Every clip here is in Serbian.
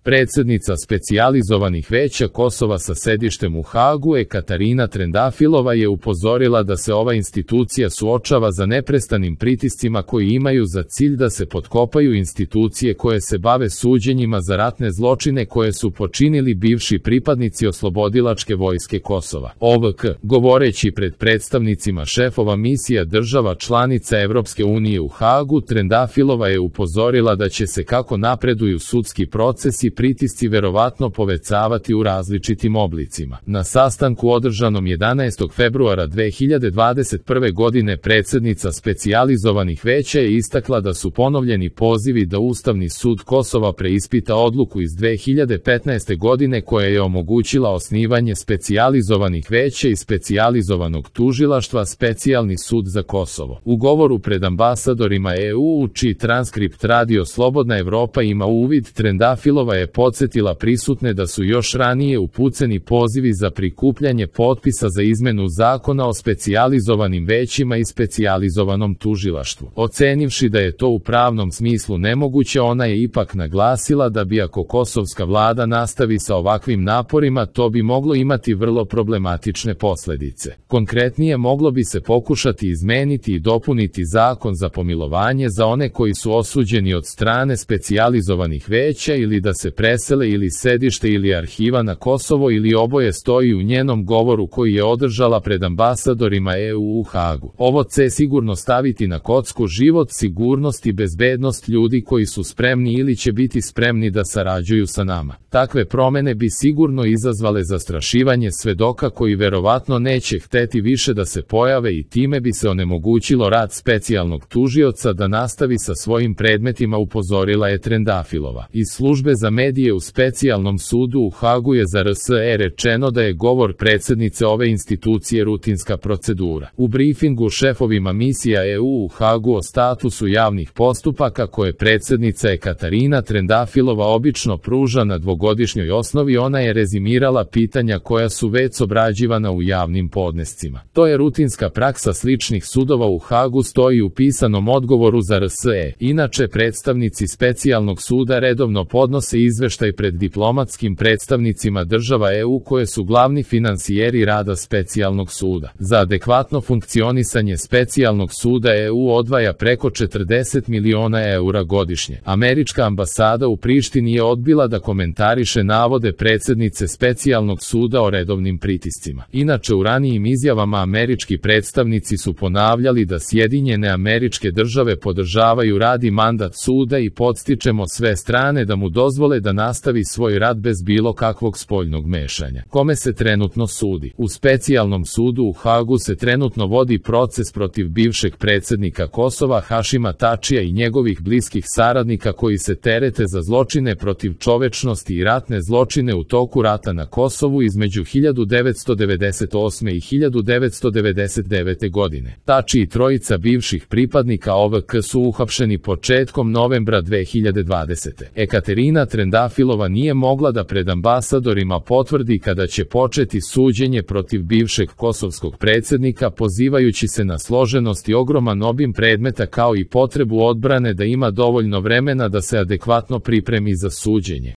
Predsjednica specijalizovanih veća Kosova sa sedištem u Hagu Katarina Trendafilova je upozorila da se ova institucija suočava za neprestanim pritiscima koji imaju za cilj da se potkopaju institucije koje se bave suđenjima za ratne zločine koje su počinili bivši pripadnici Oslobodilačke vojske Kosova. OVK, govoreći pred predstavnicima šefova misija država članica Evropske unije u Hagu, Trendafilova je upozorila da će se kako napreduju sudski procesi pritisci verovatno povećavati u različitim oblicima. Na sastanku održanom 11. februara 2021. godine predsjednica specijalizovanih veća je istakla da su ponovljeni pozivi da Ustavni sud Kosova preispita odluku iz 2015. godine koja je omogućila osnivanje specijalizovanih veća i specijalizovanog tužilaštva Specijalni sud za Kosovo. U govoru pred ambasadorima EU, čiji transkript Radio Slobodna Evropa ima uvid, Trendafilova je podsjetila prisutne da su još ranije upućeni pozivi za prikupljanje potpisa za izmenu zakona o specijalizovanim većima i specijalizovanom tužilaštvu. Ocenivši da je to u pravnom smislu nemoguće, ona je ipak naglasila da bi ako kosovska vlada nastavi sa ovakvim naporima, to bi moglo imati vrlo problematične posljedice. Konkretnije, moglo bi se pokušati izmeniti i dopuniti zakon za pomilovanje za one koji su osuđeni od strane specijalizovanih veća ili da se presele ili sedište ili arhiva na Kosovo ili oboje, stoji u njenom govoru koji je održala pred ambasadorima EU u Hagu. Ovo će sigurno staviti na kocku život, sigurnost i bezbednost ljudi koji su spremni ili će biti spremni da sarađuju sa nama. Takve promjene bi sigurno izazvale zastrašivanje svedoka koji verovatno neće hteti više da se pojave i time bi se onemogućilo rad specijalnog tužioca da nastavi sa svojim predmetima, upozorila je Trendafilova. Iz službe za medije u Specijalnom sudu u Hagu je za RSE rečeno da je govor predsjednice ove institucije rutinska procedura. U briefingu šefovima misija EU u Hagu o statusu javnih postupaka koje predsjednica Katarina Trendafilova obično pruža na dvogodišnjoj osnovi, ona je rezimirala pitanja koja su već obrađivana u javnim podnescima. To je rutinska praksa sličnih sudova u Hagu, stoji u pisanom odgovoru za RSE. Inače, predstavnici Specijalnog suda redovno podnose izveštaj pred diplomatskim predstavnicima država EU koje su glavni finansijeri rada Specijalnog suda. Za adekvatno funkcionisanje Specijalnog suda EU odvaja preko 40 miliona eura godišnje. Američka ambasada u Prištini je odbila da komentariše navode predsjednice Specijalnog suda o redovnim pritiscima. Inače, u ranijim izjavama američki predstavnici su ponavljali da Sjedinjene Američke Države podržavaju rad i mandat suda i podstičemo sve strane da mu dozvole da nastavi svoj rad bez bilo kakvog spoljnog mešanja. Kome se trenutno sudi? U Specijalnom sudu u Hagu se trenutno vodi proces protiv bivšeg predsjednika Kosova Hašima Tačija i njegovih bliskih saradnika koji se terete za zločine protiv čovečnosti i ratne zločine u toku rata na Kosovu između 1998. i 1999. godine. Tači i trojica bivših pripadnika OVK su uhapšeni početkom novembra 2020. Katarina Trendafilova nije mogla da pred ambasadorima potvrdi kada će početi suđenje protiv bivšeg kosovskog predsjednika, pozivajući se na složenost i ogroman obim predmeta kao i potrebu odbrane da ima dovoljno vremena da se adekvatno pripremi za suđenje.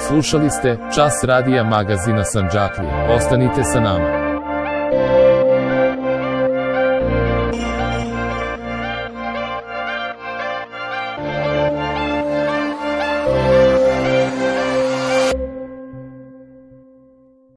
Slušali ste Čas radija magazina Sandžaklija. Ostanite sa nama.